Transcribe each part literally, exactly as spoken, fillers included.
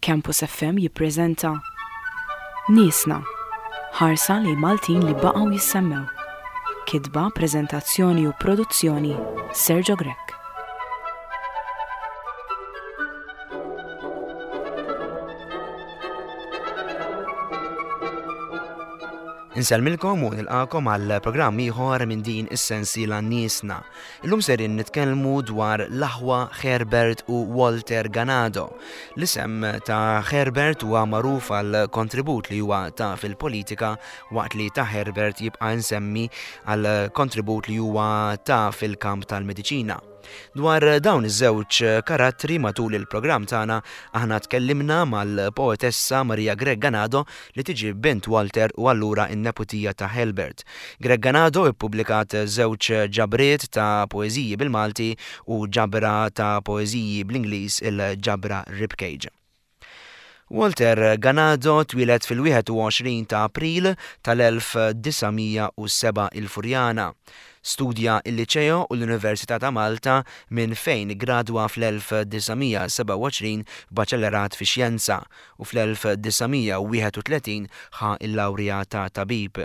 Campus F M jippreżenta Niesna, ħarsa lejn Maltin li baqgħu jissemmew. Kitba, preżentazzjoni u produzzjoni, Sergio Grech. Insellmilkom u nilqakom għal programm ieħor minn din is-sensiela Niesna. Illum serin nitkellmu dwar l-aħwa Herbert u Walter Ganado. L-isem ta' Herbert huwa magħruf għal kontribut li huwa ta' fil-politika, waqt li ta' Herbert jibqa' nsemmi għal kontribut li huwa ta' fil-kamp tal-mediċina. Dwar dawn iż-żewġ karattri matul il-programm tagħna aħna tkellimna mal-poetessa Maria Grech Ganado, li tiġi bint Walter u allura n-neputija ta' Herbert. Grech Ganado ippubblikat żewġ ġabriet ta' poeżiji bil-Malti u ġabra ta' poeżiji bl-Ingliż, il-ġabra Ribcage. Walter Ganado twieled fil-wieħed u għoxrin ta' April tal-elf disa' mija u sebgħa il-Furjana. Studja il-Liċeo u l-Università ta' Malta, minn fejn gradwa fl-elf disa' mija sebgħa u għoxrin b'baċellerat fi xjenza u fl-elf disa' mija wieħed u tletin ħa il-lawrja ta' tabib.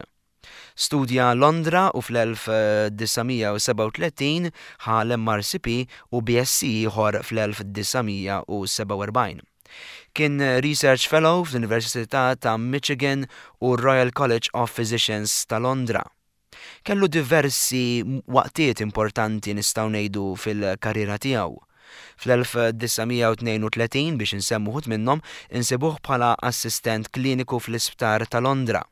Studja Londra u fl-elf disa' mija sebgħa u tletin ħa l-M R C P u B S C ieħor fl-elf disa' mija sebgħa u erbgħin. Kien Research Fellow fl-Università ta' Michigan u Royal College of Physicians ta' Londra. Kellu diversi waqtiet importanti, nistgħu ngħidu, fil-karriera tiegħu. Fl-elf disa' mija tnejn u tletin, biex insemmu wħud minnhom, insibuh bħala assistent kliniku fl-Isptar ta' Londra.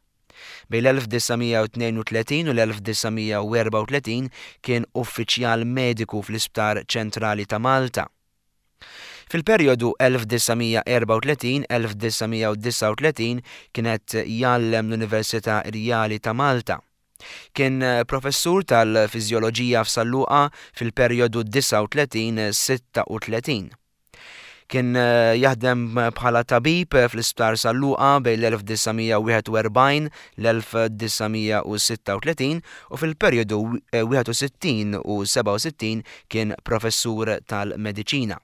Bejn l-elf disa' mija tnejn u tletin u l-elf disa' mija erbgħa u tletin kien uffiċjal mediku fl-Isptar Ċentrali ta' Malta. Fil-perjodu elf disa' mija erbgħa u tletin-elf disa' mija disgħa u tletin kienet jgħallem l-Università Rjali ta' Malta. Kien professur tal-fiżjoloġija f'San Luqa fil-perjodu disgħa u tletin sitta u tletin. Kien jaħdem bħala tabib fl-Isptar San Luqa bejn l-elf disa' mija wieħed u erbgħin l-elf disa' mija sitta u tletin u fil-perjodu wieħed u sittin u sebgħa u sittin kien professur tal-mediċina.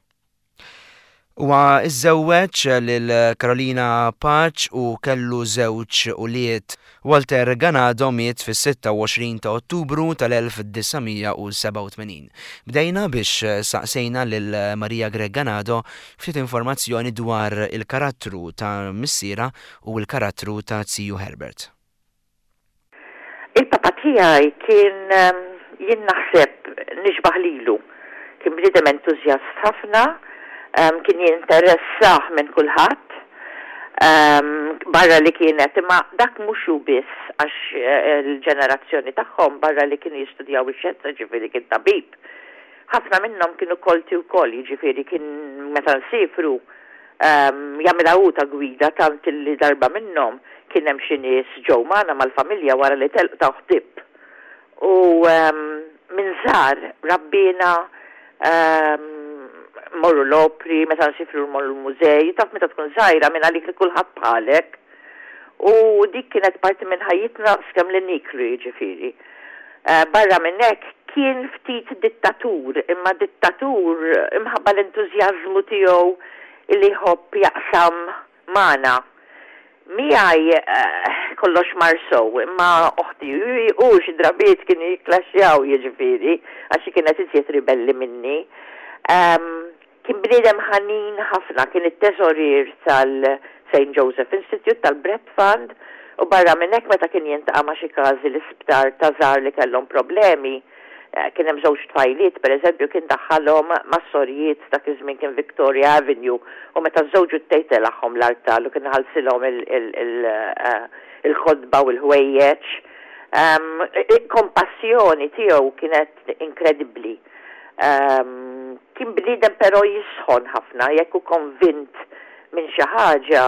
Huwa iżżewweġ lil Carolina Pace u kellu żewġ ulied. Walter Ganado miet fis-sitta u għoxrin ta' Ottubru tal-elf disa' mija sebgħa u tmenin. Bdejna biex saqsejna lil Maria Grech Ganado ftit informazzjoni dwar il-karattru ta' missiera u l-karattru ta' Ziju Herbert. Il-papa tiegħi kien, jien naħseb nixbaħ lilu. Kien bniedem entużjast ħafna, kien jinteressah minn kulħadd. Barra li kienet, imma dak mhux hu biss, għax eh, l-ġenerazzjoni tagħhom, barra li kienu jistudjaw ix-xjenza, ġifieri kien tabib. Ħafna minnhom kienu kolti wkoll, jiġifieri kien meta nsifru jagħmilha hu ta' gwida, tant li darba minnhom kien hemm xi nies ġew magħna mal-familja, wara li telqu ta' ħtib. U minn żgħar rabbina morru l-opri, meta nsifru morru l-mużej, taf meta tkun żgħira minn għalik li kulħadd bħalek. U dik kienet parti minn ħajjitna skemm li niklu, jiġifieri. Eh, barra minn hekk kien ftit dittatur, imma dittatur imħabba l-entużjażmu tiegħu illi jħobb jaqsam magħna. Miegħi eh, kollox mar sew, imma oħti u xi drabiet kienu jikklaxxjaw, jiġifieri, għax kienet iżjed ribelli minni. Um, kien bniedem ħanin ħafna, kien it-teżorier tal-Saint Joseph Institute, tal-Bread Fund, u barra minn hekk meta kien jiltaqa' ma' xi każi l-isptar ta' żgħar li kellhom problemi, eh, kien hemm żewġ tfajliet, pereżempju, kien daħħalhom mas-sorijiet, dak iż-żmien kien Victoria Avenue, u meta żewġu tejtelagħhom l-artal u kien ħalsilhom eh, il-kotba u l-ħwejjeġ. Kompassjoni tiegħu kienet inkredibbli. Um, kien bniedem però jisħon ħafna, jekk hu konvint minn xi ħaġa,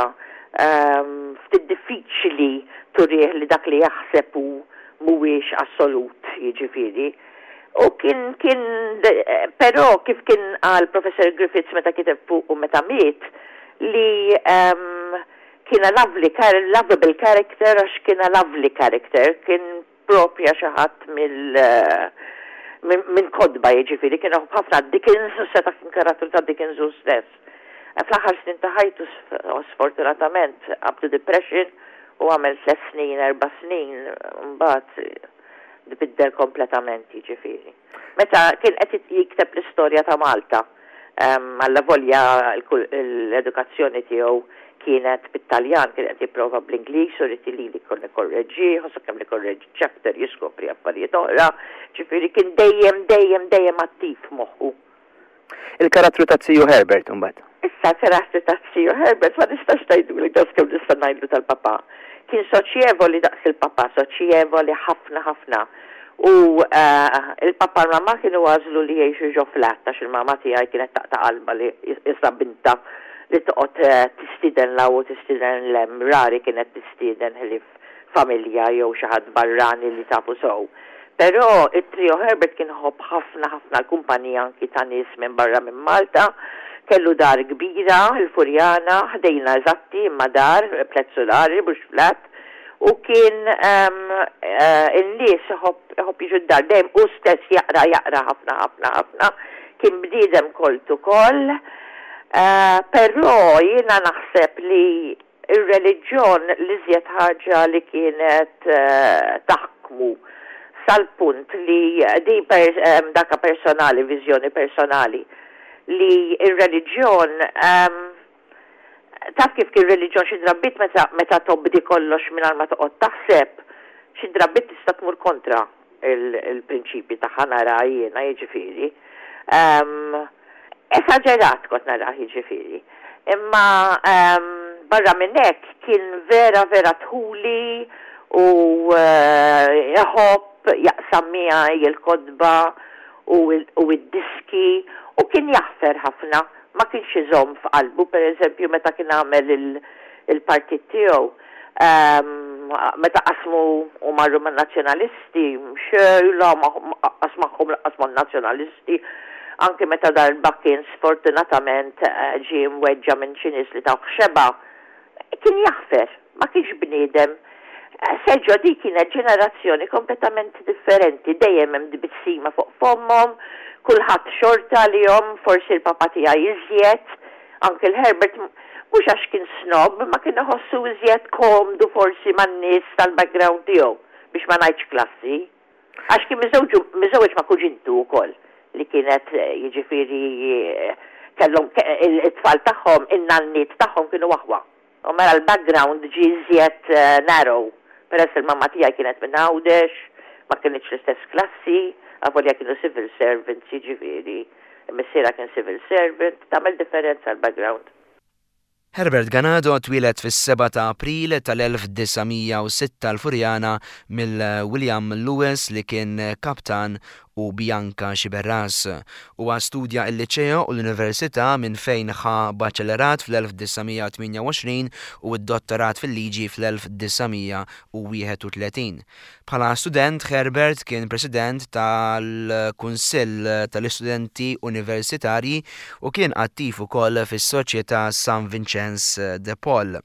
um, ftit diffiċli turih li dak li jaħseb hu mhuwiex assolut, jiġifieri. U kien kien però kif kien qal Professor Griffiths meta kiteb fuq u meta miet, li um, kien a lovely, lovable character għax kien a lovely character, kien propja xi ħadd mill minn kotba, jiġifieri, kien ħafna Dickens, u seta' kien karattru ta' Dickens u stess. Fl-aħħar snin ta' ħajtu, sfortunatament, qabdu depression u għamel tliet snin, erba' snin, mbagħad biddel kompletament, jiġifieri. Meta kien qed jikteb l-istorja ta' Malta, allavolja l-edukazzjoni tiegħu kienet bit-Taljan, kien qed jipprova bl-Ingliż u ried li li kon nikorreġi, ħossu kemm nikorreġi chapter jiskopri affarijiet oħra, ġifieri kien dejjem, dejjem, dejjem attiv moħħu. Il-karattru ta' Ziju Herbert imbagħad. Issa karattru ta' Ziju Herbert ma nistax ngħidu li daqs kemm nista' ngħidlu tal-papà. Kien soċjevoli daqs il-papà, soċjevoli ħafna ħafna. U eh, il-papà u l-mamà kienu għażlu li jgħixu ġo flat, għax il-mamà tiegħi kienet taqta' qalba li issa bintha li toqgħod eh, tistieden 'l hawn u tistieden 'l hemm, rari kienet tistieden ħlief familja jew xi ħadd barrani li tafu sew. Però it-trio Herbert kien iħobb ħafna ħafna l-kumpanija anki ta' nies minn barra minn Malta, kellu dar kbira, il-Furjana, ħdejna eżatti, imma dar, tliet sulari, mhux flat, u kien um, uh, in-nies iħobb jiġu d-dar, dejjem u stess jaqra jaqra ħafna ħafna ħafna, kien bniedem kolt ukoll, uh, però jiena naħseb li ir-reliġjon l-iżjed ħaġa li kienet uh, taħkmu sal-punt li di per, um, daka personali, viżjoni personali, li ir-reliġjon um, taf kif kien reliġjon xi drabiet meta, meta tobdi kollox mingħajr ma toqgħod taħseb, xi drabiet tista' tmur kontra il-prinċipi tagħha, nara jiena, jiġifieri. Um, esaġerat kont nara, jiġifieri. Imma um, barra minn hekk kien vera vera dħuli u uh, iħobb jaqsam miegħi il-kotba u id-diski u kien jaħfer ħafna, ma kienx iżomm f'qalbu, per eżempju, meta kien għamel il-partit tiegħu. Meta qasmu u marru man nazzjonalisti, xejn, la qas magħhom lanqas man-nazzjonalisti, anke meta darba kien sfortunatament eh, ġie mweġġa' minn xi nies li tawh xebgħa, kien jaħfer, ma kienx bniedem. Sergio, di kienet ġenerazzjoni kompletament differenti, dejjem hemm tbissima fuq fommhom, kulħadd xorta li jom, forsi l-papà tiegħi iżjed, anke l-Herbert, mhux għax kien snob, ma kien iħossu iżjed komdu forsi man-nies tal-background tiegħu, biex ma ngħidx klassi. Għax kien miżewġ ma' kuġintu wkoll li kienet, jiġifieri, kellhom it-tfal tagħhom, in-nanniet tagħhom kienu aħwa. U mela l-background ġie iżjed eh, narrow. Peress il-mamma tiegħi kienet minn Għawdex, ma kienx l-istess klassi, avolja kienu civil servants, jiġifieri, missiera kien civil servant, tagħmel differenza l-background. Herbert Ganado twieled fis-seba ta' April tal-elf disa' mija u sitta l-Furjana mill-William Lewis li kien kaptan u Bianca Xiberras. Huwa studja il-liceo u l-Università minn fejn ħa baċellerat fl-elf disa' mija tmienja u għoxrin u d-dottorat fil-liġi fl-elf disa' mija u wieħed u tletin. Bħala student, Herbert kien president tal-Kunsill tal-Istudenti Universitarji u kien attiv ukoll fis-Soċjetà San Vincenz de Paul.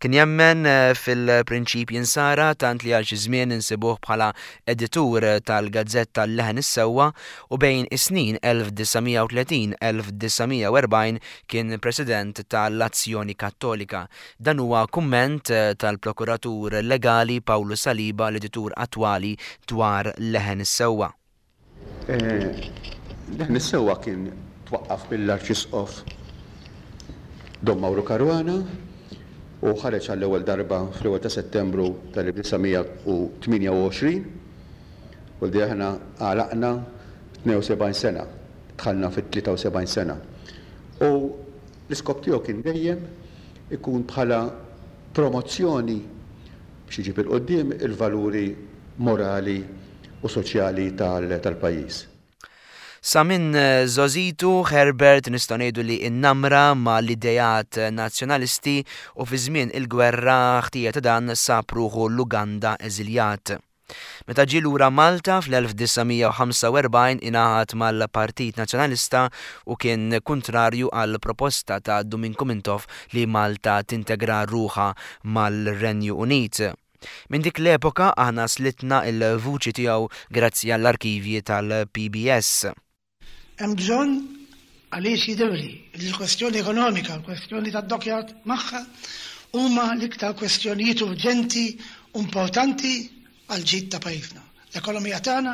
Kien jemmen fil-prinċipji nsara tant li għal xi żmien insibuh bħala editur tal-gazzetta Leħen is-Sewwa u bejn is-snin elf disa' mija u tletin-elf disa' mija u erbgħin kien president tal-Azzjoni Kattolika. Dan huwa kumment tal-prokuratur legali Pawlu Saliba, l-editur attwali, dwar Leħen is-Sewwa. Leħen is-Sewwa kien twaqqaf mill-Arċisqof Dom Mauro Caruana u ħareġ għall-ewwel darba fl-ewwel ta' Settembru tal-elf disa' mija u tmienja u għoxrin u li aħna għalaqna tnejn u sebgħin sena, dħalna fit-tlieta u sebgħin sena. U l-iskop tiegħu kien dejjem ikun bħala promozzjoni biex iġib 'il quddiem il-valuri morali u soċjali tal-pajjiż. Sa minn żgħożitu Herbert nistgħu ngħidu li innamra ma l-idejat nazzjonalisti u fi żmien il-gwerra ħtija ta' dan sab ruħu l-Uganda eżiljat. Meta ġie lura Malta fl-elf disa' mija u ħamsa u erbgħin ingħaqad mal-Partit Nazzjonalista u kien kontrarju għal proposta ta' Duminku Mintoff li Malta tintegra ruħha mal-Renju Unit. Minn dik l-epoka aħna slitna il-vuċi tiegħu grazzi għall-arkivji tal-P B S. Hemm bżonn Għaliex jidhirli li l-kwestjoni ekonomika, l-kwestjoni tad-dockyard magħha huma l-iktar kwestjonijiet urġenti u importanti għal ġid ta' pajjiżna. L-ekonomija tagħna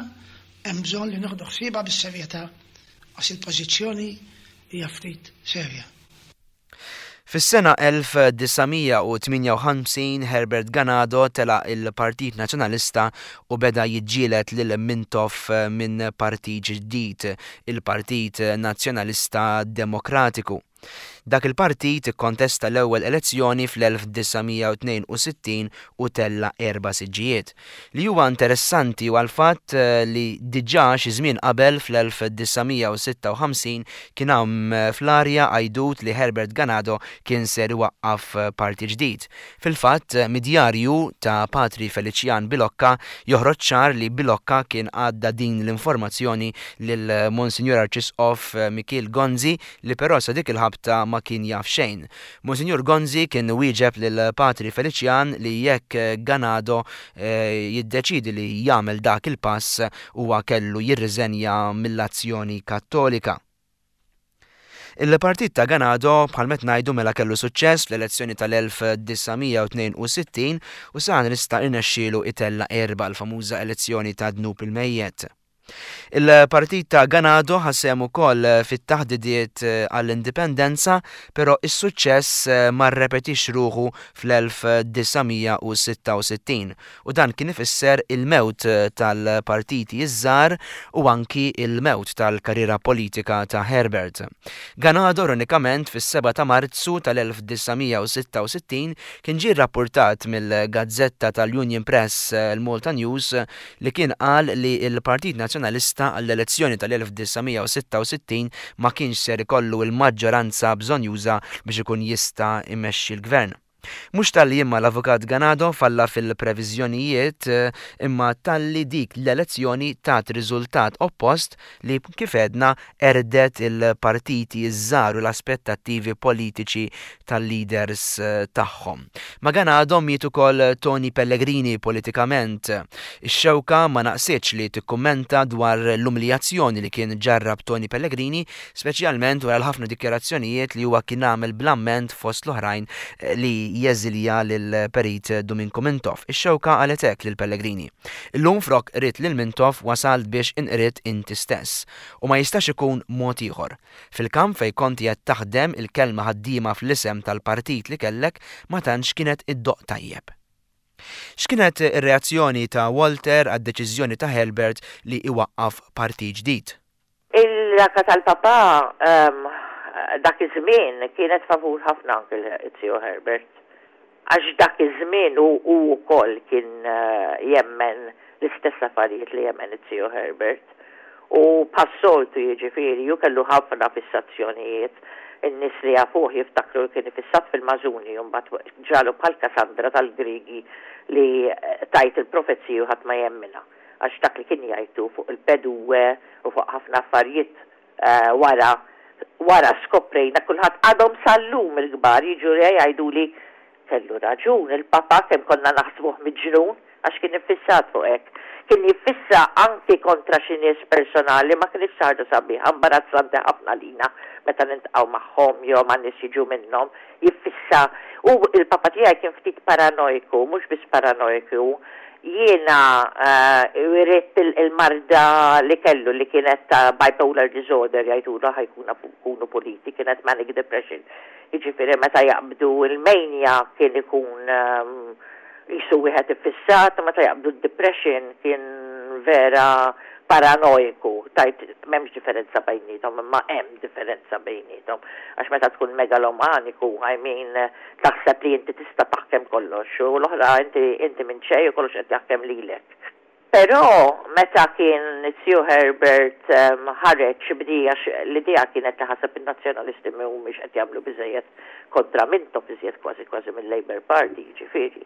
hemm bżonn li nieħdu ħsiebha bis-serjetà għax il-pożizzjoni hija ftit serja. Fis-sena elf disa' mija u tmienja u ħamsin Herbert Ganado telaq il-Partit Nazzjonalista u beda jiġġieled lil Mintoff minn partit ġdid, il-Partit Nazzjonalista Demokratiku. Dak il-partit ikkontesta l-ewwel elezzjoni fl-elf disa' mija u tnejn u sittin u tella erba' siġġijiet. Li huwa interessanti huwa l-fatt li diġà xi żmien qabel fl-elf disa' mija u sitta u ħamsin kien hawn fl-arja għajdut li Herbert Ganado kien ser iwaqqaf parti ġdid. Fil-fatt, mid-djarju ta' Patri Felician Bilocca joħroġ ċar li Bilocca kien għadda din l-informazzjoni lil Monsignor Arċisqof Mikiel Gonzi li però sa dik il-ħabta ma kien jaf xejn. Monsignor Gonzi kien wieġeb lil Patri Felician li jekk Ganado, eh, jiddeċidi li jagħmel dak il-pass huwa kellu jirriżenja mill-Azzjoni Kattolika. Il-partit ta' Ganado bħal met ngħidu mela kellu suċċess fl-elezzjoni tal-elf disa' mija u tnejn u sittin u sa nista' irnexxielu itella erba' l-famuża elezzjoni ta' dnub il-mejjet. Il-partit ta' Ganado ħasem ukoll fit-taħdidiet għall-indipendenza, però is-suċċess ma rrepetix ruħu fl-elf disa' mija u sitta u sittin u dan kien ifisser il-mewt tal-partiti iż-żgħar u anki il-mewt tal-karriera politika ta' Herbert. Ganado ironikament fis-seba ta' Marzu tal-elf disa' mija u sitta u sittin kien ġie rrappurtat mill-gazzetta tal-Union Press il-Malta News li kien qal li l-Partit Nazzjonalista għall-elezzjoni tal-elf disa' mija u sitta u sittin ma kienx ser ikollu l-maġġoranza bżonjuża biex ikun jista' imexxi l-gvern. Mhux talli imma l-Avukat Ganado falla fil-previżjonijiet, imma talli dik l-elezzjoni tat riżultat oppost li kif għedna erdet il-partiti iż-żgħar u l-aspettattivi politiċi tal-leaders tagħhom. Ma Ganado miet ukoll Tony Pellegrini politikament. Ix-xewka ma naqsitx li tikkummenta dwar l-umiljazzjoni li kien ġarrab Tony Pellegrini, speċjalment wara l-ħafna dikjarazzjonijiet li huwa kien għamel bl-amment fost l-oħrajn li jeżilja lil Perit Duminku Mintoff. Ix-xewka qalet hekk lil Pellegrini. Illum frok qrid lil Mintoff wasalt biex inqrid inti stess u ma jistax ikun mod ieħor. Fil-kamp fejn kont qed taħdem il-kelma ħaddiema fl-isem tal-partit li kellek ma tantx kienet iddoq tajjeb. X'kienet ir-reazzjoni ta' Walter għad-deċiżjoni ta' Herbert li iwaqqaf partit ġdid? Il-raka tal-papa, ehm, dak iż-żmien kienet favur ħafna anke l-zio Herbert. Għax dak iż-żmien hu, hu wkoll kien, eh, jemmen l-istess affarijiet li jemmen it-zio Herbert. U passoltu jiġifieri, ju kellu ħafna fissazzjonijiet. In-nies li jafuh jiftakru li kien ifissat fil-mażuni, u mbagħad ġralu bħal Kassandra tal-Grigi li tajt il-profezzi u ħadd ma jemmina. Għax dak li kien jgħidu fuq il-pedue u fuq ħafna affarijiet, eh, wara, wara skoprejna kulħadd għadhom sal-lum il-kbar jiġu jgħidu li kellu raġun il-papa kemm konna naħsbuh miġnun għax kien iffissat fuq hekk. Kien jiffissa anki kontra xi nies personali ma kienx ħaġa sabiħa, imbarazzanti ħafna lina meta nintqgħu magħhom jew ma' nies jiġu minnhom, jiffissa. U il-papa tiegħi kien ftit paranoiku, mhux biss paranoiku. Jiena, eh, irrid il-, il-marda li kellu li kienet ta' bipolar disorder jgħidulha ħajkuna pu-, kunu politi, kienet manic depression. Jiġifieri meta jaqbdu il-mania kien ikun, ehm, jisu wieħed iffissat, meta jaqbdu d-depression kien vera paranoiku. Tajt m'hemmx differenza bejniethom, imma hemm differenza bejniethom. Għax meta tkun megalomaniku, I mean, taħseb li inti tista' taħkem kollox, u l-oħra inti, inti minn xejn u kollox qed jaħkem lilek. Però meta kien Sir Herbert, ehm, ħareġ bdija x-, l-idea kienet li ħaseb in-nazzjonalisti mhumiex qed jagħmlu biżejjed kontra Mintoff iżjed kważi kważi mill-Labour Party, jiġifieri.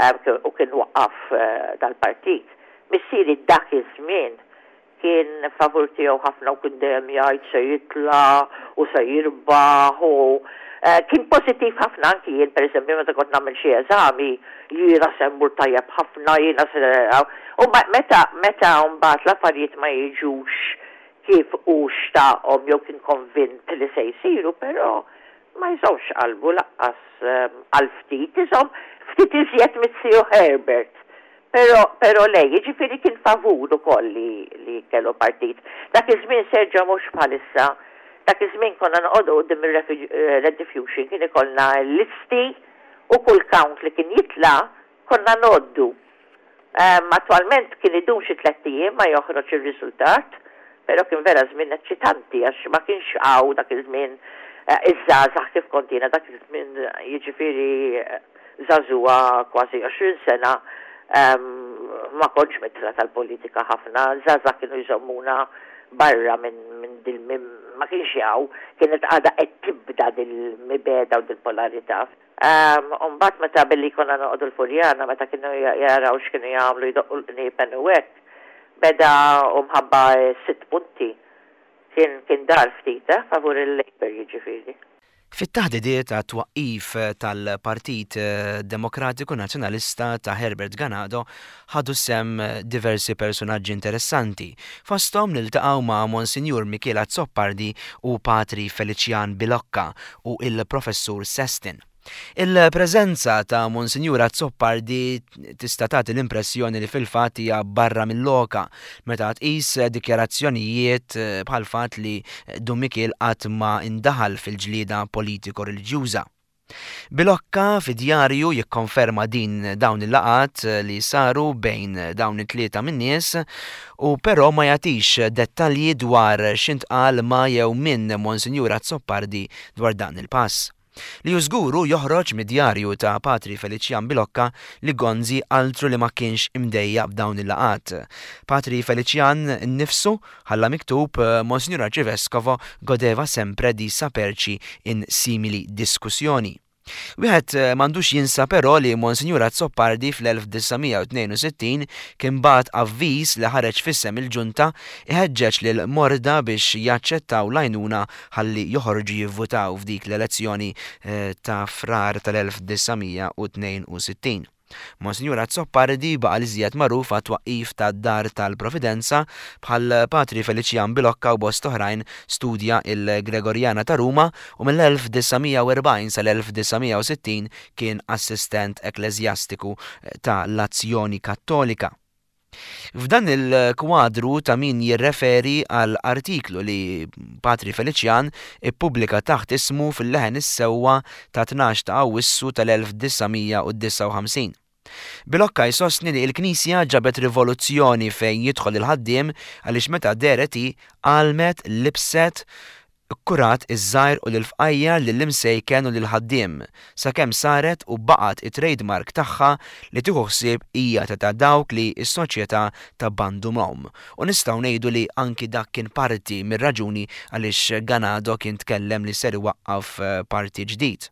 Ehm, k-, u kien waqqaf, eh, dal-partit. Missieri dak iż-żmien kien favur tiegħu ħafna u kien dejjem jgħid se jitla' u se jirbaħ u, eh, kien pożittiv ħafna anki jien pereżempju meta kont nagħmel xi eżami jiena se mmur tajjeb ħafna, jiena se u ma-, meta, meta mbagħad l-affarijiet ma jiġux Kif u xtaqhom jew kien konvint li se jsiru, però ma jżommx qalbu lanqas għal ftit, iżomm ftit iżjed miz-ziju Herbert. Però, però lej, jiġifieri kien favur ukoll li, li kellu partit. Dak iż-żmien, Sergio, mhux bħalissa. Dak iż-żmien konna noqogħdu quddiem ir-Rediffusion, kien ikollna listi u kull count li kien jitla' konna ngħoddu. Um, attualment kien idum xi tlett ijiem ma joħroġ ir-riżultat, però kien vera żmien eċċitanti għax ma kienx hawn dak iż-żmien eh, iż-żgħażagħ kif kont jiena dak iż-żmien, jiġifieri eh, żagħżugħa kważi għoxrin sena, um, ma kontx midħla tal-politika ħafna, żgħażagħ kienu jżommuna barra minn min dil min, ma kienx hawn, kienet għadha qed tibda dil-mibegħda u dil-polarità. Um, Umbagħad meta billi konna noqogħdu l-Furjana, meta kienu jaraw x'kienu jagħmlu, jdoqqu l-qniepen u hekk, beda u mħabba sitt punti kien kien dar ftit eh, favur il-Labour jiġifieri. Fit-taħdidiet ta' twaqqif tal-Partit Demokratiku Nazzjonalista ta' Herbert Ganado ħadu sehem diversi personaġġi interessanti. Fosthom niltaqgħu ma' Monsinjur Mikiel Azzopardi u Patri Felician Bilocca u il-Professur Sestin. Il-preżenza ta' Monsinjur Azzopardi tista' tagħti l-impressjoni li fil-fatt hija barra mill-loka meta tqis dikjarazzjonijiet bħal fatt li Dun Mikiel qatt ma indaħal fil-ġlieda politiko-reliġjuża. Bilocca fi djarju jikkonferma din dawn il-laqgħat li saru bejn dawn it-tlieta min-nies u però ma jagħtix dettalji dwar x'intqal ma' jew minn Monsinjur Azzopardi dwar dan il-pass. Li żgur joħroġ mid-djarju ta' Patri Felician Bilocca li Gonzi altru li ma kienx imdejjaq b'dawn il-laqgħat. Patri Felician nifsu ħalla miktub: "Monsignor Arcivescovo godeva sempre di saperci in simili discussioni." Wieħed m'għandux jinsa però li Monsinjur Azzopardi fl-elf disa' mija u tnejn u sittin kien bagħat avviż li ħareġ f'isem il-ġunta iħeġġeġ lil morda biex jaċċettaw l-għajnuna ħalli joħorġu jivvutaw f'dik l-elezzjoni ta' Frar tal-elf disa' mija u tnejn u sittin. Monsinjur Azzopardi baqa' l-iżjed magħruf għat-twaqqif tad-Dar tal-Providenza. Bħal Patri Felician Bilocca u bost oħrajn studja il-Gregorjana ta' Ruma u mill-elf disa' mija u erbgħin sal-elf disa' mija u sittin kien assistent ekklesjastiku ta' l-Azzjoni Kattolika. F'dan il-kwadru ta' min jirreferi għal artiklu li Patri Felician ippubblika taħt ismu fil-Leħen is-Sewwa ta' tnax ta' Awwissu tal-elf disa' mija u disgħa u ħamsin. Bilocca jsostni li l-Knisja ġabet rivoluzzjoni fejn jidħol il-ħaddiem għaliex meta dehret hi għallmet, libset, kurat iż-żgħir u l-fqajjar, lill-imsejken u lill-ħaddiem, sakemm saret u baqgħet it-trademark tagħha li tieħu ħsieb hija ta' dawk li s-soċjetà tabbandunahom. U nistgħu ngħidu li anki dak kien parti mir-raġuni għaliex Ganado kien tkellem li ser iwaqqaf parti ġdid.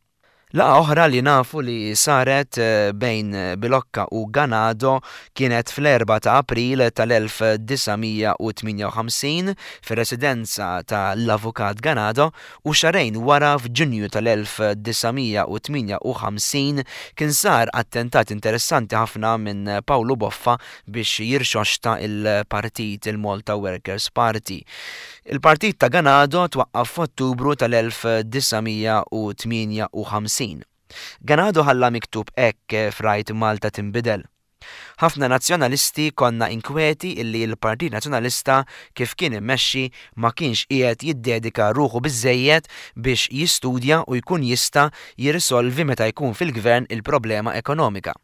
Laqgħa oħra li nafu li saret bejn Bilocca u Ganado kienet fl-erbgħa ta' April tal-elf disa' mija u tmienja u ħamsin fir-residenza tal-Avukat Ganado u xahrejn wara f'Ġunju tal-elf disa' mija u tmienja u ħamsin kien sar attentat interessanti ħafna minn Paolo Boffa biex jirxoxta il-partit, il-Malta Workers Party. Il-partit ta' Ganado twaqqaf f'Ottubru tal-elf disa' mija u tmienja u ħamsin. Ganado ħalla miktub hekk f'Rajt Malta Tinbidel: "Ħafna nazzjonalisti konna inkweti illi l-Partit Nazzjonalista kif kien immexxi ma kienx qiegħed jiddedika ruħu biżejjed biex jistudja u jkun jista' jirrisolvi meta jkun fil-gvern il-problema ekonomika.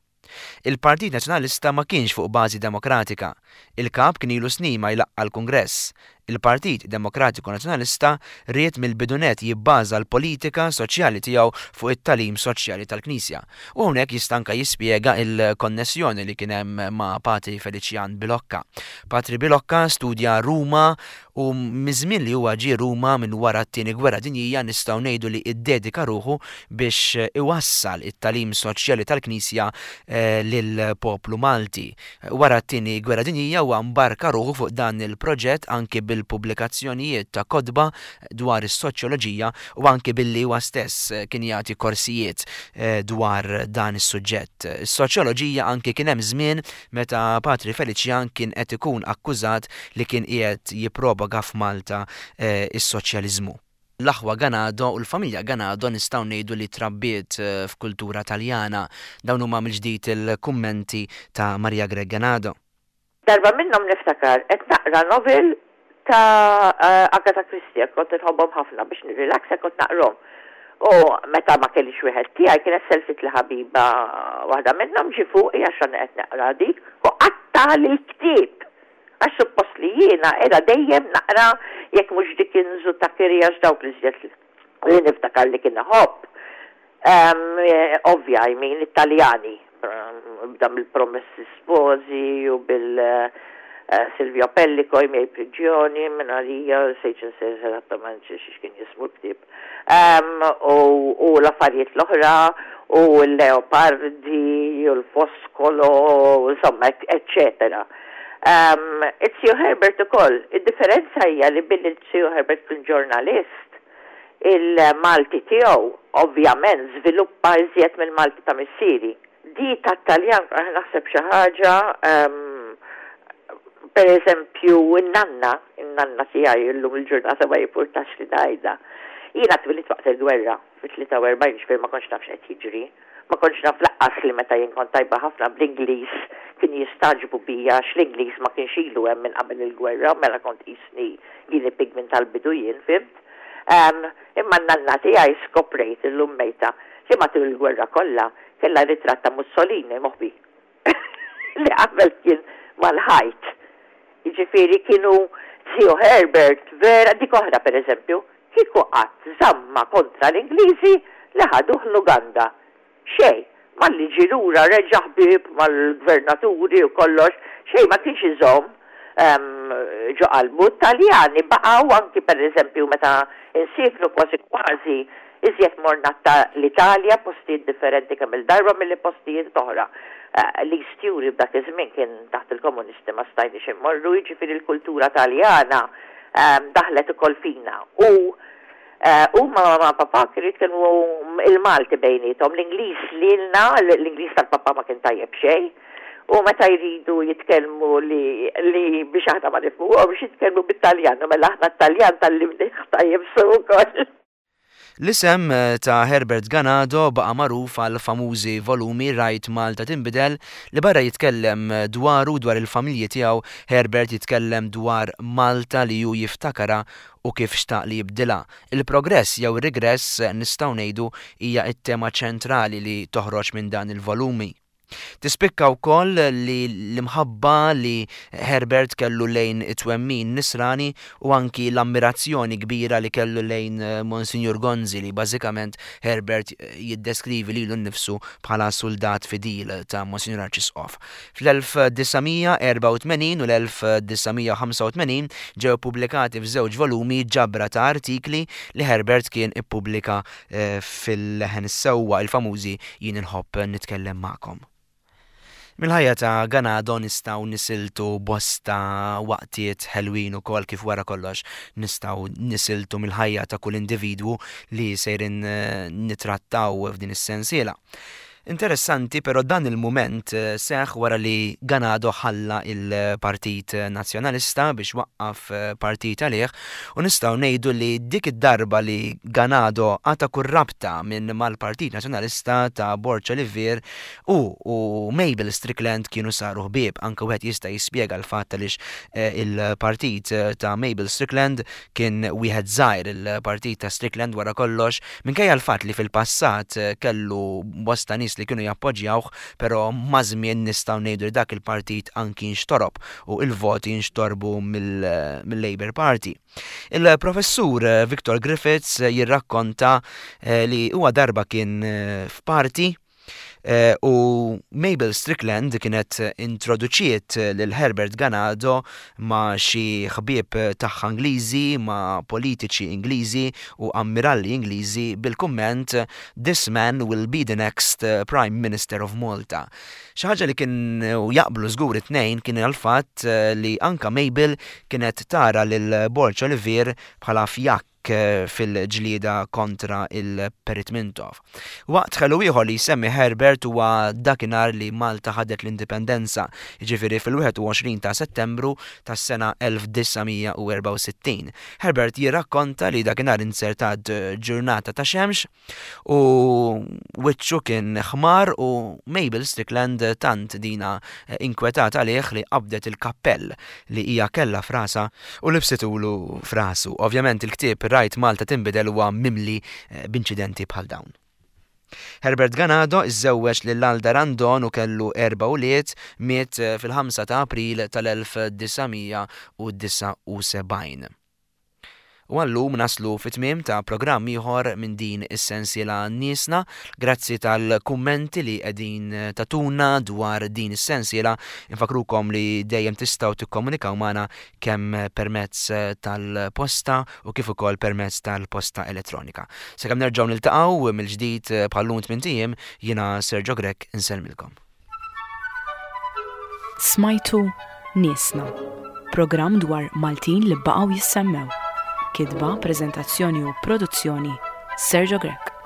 Il-Partit Nazzjonalista ma kienx fuq bażi demokratika. Il-kap kien ilu snin ma jlaqqa l-Kungress. Il-Partit Demokratiku Nazzjonalista ried mill-bidu nett jibbaża l-politika soċjali tiegħu fuq it-tagħlim soċjali tal-Knisja." U hawnhekk jista' anke jispjega il-konnessjoni li kien hemm ma' Patri Felician Bilocca. Patri Bilocca studja Ruma u miż-żmien li huwa ġie Ruma minn wara t-tieni gwerra dinjija nistgħu ngħidu li iddedika ruħu biex iwassal it-tagħlim soċjali tal-Knisja eh, lill-poplu Malti. Wara t-tieni gwerra dinjija huwa mbarka ruħu fuq dan il-proġett anki bil bil-pubblikazzjonijiet ta' kotba dwar is-soċjoloġija u anki billi huwa stess kien jagħti korsijiet dwar dan is-suġġett. Is-soċjoloġija anki kien hemm żmien meta Patri Feliċjan kien qed ikun akkużat li kien qiegħed jippropaga f'Malta is-soċjaliżmu. L-aħwa Ganado u l-familja Ganado nistgħu ngħidu li trabbiet f'kultura Taljana. Dawn huma mill-ġdid il-kummenti ta' Maria Grech Ganado. Darba minnhom niftakar qed naqra novel ta' Agatha Christie, kont inħobbhom ħafna biex nirrilaksa kont naqrom. U meta ma kellix wieħed tiegħi kienet selfit li ħabiba waħda minnhom ġie fuqi għax qed naqra dik u qattagħli l-ktieb. Għax suppost li jiena qiegħda dejjem naqra jekk mhux Dickens u Thackeray għax dawk li żjed li niftakar li kien iħobb. Ovvja, I mean, Italjani, bda mill-Promessi Sposi u bil Silvio Pellico, I miei prigioni, minn għalija, sejċin esattament xiex kien jismu l-ktieb. U l-affarijiet l-oħra, u l-Leopardi, u l-Foscolo, insomma, eccetera. Iz-ziju Herbert ukoll, id-differenza hija li billi iz-ziju Herbert kien ġurnalist, il-Malti tiegħu ovvjament żviluppa iżjed mill-Malti ta' missieri. Di tat-Taljan naħseb xi ħaġa, per eżempju, in-nanna, in-nanna tiegħi llum il-ġurnata ma jimpurtax li ngħidha. Jiena twilidt waqt il-gwerra fit-tlieta u erbgħin, ġifieri ma kontx naf x'qed jiġri. Ma kontx naf lanqas li meta jien kont tajba ħafna bl-Ingliż kien jistagħġbu bija għax l-Ingliż ma kienx ilu hemm minn qabel il-gwerra, mela kont qisni guinea pig minn tal-bidu jien, fhimt? Imma n-nanna tiegħi skoprejt illum mejta li matul il-gwerra kollha kellha ritratt ta' Mussolini moħbi li qabel kien mal-ħajt. Jiġifieri kienu ziju Herbert vera dik oħra pereżempju, kieku qatt żamma kontra l-Ingliżi li ħaduh l-Uganda. Xejn, malli ġie lura reġa' ħbieb mal-gvernaturi u kollox, xejn ma kienx iżomm ġo qalbu. Taljani baqgħu anki pereżempju meta insifru kważi kważi iżjed morna ta' l-Italja, postijiet differenti kemm il-darba milli postijiet oħra. L-East Europe dak iż-żmien kien taħt il-komunisti ma stajniex immorru, jiġifieri l-kultura Taljana daħlet ukoll fina. U huma ma' papà kienu jitkellmu il-Malti bejniethom, l-Ingliż lilna, l-Ingliż tal-papà ma kien tajjeb xejn. U meta jridu jitkellmu li, li biex aħna ma nifhmuhomx jitkellmu bit-Taljan, u mela aħna t-Taljan tgħallimnieh tajjeb sew ukoll. L-isem ta' Herbert Ganado baqa' magħruf għal famużi volumi Rajt Malta Tinbidel li barra jitkellem dwaru dwar il-familji tiegħu, Herbert jitkellem dwar Malta li hu jiftakara u kif xtaq li jibdilha. Il-progress jew ir-regress nistgħu ngħidu hija t-tema ċentrali li toħroġ minn dan il-volumi. Tispikka wkoll li l-imħabba li Herbert kellu lejn it-twemmin nisrani u anki l-ammirazzjoni kbira li kellu lejn Monsignor Gonzi li bażikament Herbert jiddeskrivi lilu nnifsu bħala soldat fidil ta' Monsignor Arċisqof. Fl-elf disa' mija erba' u tmenin u l-elf disa' mija ħamsa u tmenin ġew pubblikati f'żewġ volumi ġabra ta' artikli li Herbert kien ippubblika fil-Leħen is-Sewwa, il-famużi Jien inħobb nitkellem magħkom. Mill-ħajja ta' Ganado nistgħu nisiltu bosta waqtiet ħelwin ukoll kif wara kollox nistgħu nisiltu mill-ħajja ta' kull individwu li sejrin nitrattaw f'din is-sensiela. Interessanti, però dan il-mument seħ wara li Ganado ħalla il-Partit Nazzjonalista biex waqqaf partit għalih, u nistgħu ngħidu li dik id-darba li Ganado għata kull rabta minn mal-Partit Nazzjonalista ta' Borg Olivier u, u Mabel Strickland kienu saru ħbieb. Anke wieħed jista' jispjega l-fatt għaliex il-partit ta' Mabel Strickland kien wieħed żgħir, il-partit ta' Strickland wara kollox, minkejja l-fatt li fil-passat kellu bosta nies li kienu jappoġġjawh, però maż-żmien nistgħu ngħidu li dak il-partit anki nxtorob u il-voti nxtorbu mill-Labour Party. Il-professur Victor Griffiths jirrakkonta li huwa darba kien f'parti Eh, u Mabel Strickland kienet introduċiet lil Herbert Ganado ma' xi ħbieb tagħha Ingliżi, ma' politiċi Ingliżi u ammiralli Ingliżi bil-kumment "This man will be the next Prime Minister of Malta." Xi ħaġa li kien jaqblu żgur it-tnejn kien il-fatt li anka Mabel kienet tara lil Borg Olivier bħala fjakk fil-ġlieda kontra il-Perit Mintoff. Waqt ħelu ieħor li jsemmi Herbert huwa dakinhar li Malta ħadet l-indipendenza, jiġifieri fil-wieħed u għoxrin ta' Settembru tas-sena elf disa' mija u erbgħa u sittin. Herbert jirrakkonta li dakinhar inzertat ġurnata ta' xemx u wiċċu kien ħmar u Mabel Strickland tant dina inkwetat għalih li qabdet il-kappell li hija kellha f'rasha u libsitulu f'rasu. Ovvjament, il-ktieb "Rajt Malta Tinbidel" huwa mimli eh, b'inċidenti bħal dawn. Herbert Ganado iżżewweġ lil Alda Randon u kellu erba' ulied. Miet eh, fil-ħamsa ta' April tal-elf disa' mija u disgħa u sebgħin. U għallum naslu fit-tmiem ta' programm ieħor minn din is-sensiela Niesna. Grazzi tal-kummenti li qegħdin tagħtuna dwar din is-sensiela. Infakrukom li dejjem tistgħu tikkomunikaw magħna kemm permezz tal-posta u kif ukoll permezz tal-posta elettronika. Sakemm nerġgħu niltaqgħu mill-ġdid bħallum tmint ijiem, jiena Sergio Grech insellmilkom. Smajtu Niesna, programm dwar Maltin li baqgħu jissemmew. Kitba, prezentazzjoni u produzzjoni, Sergio Grech.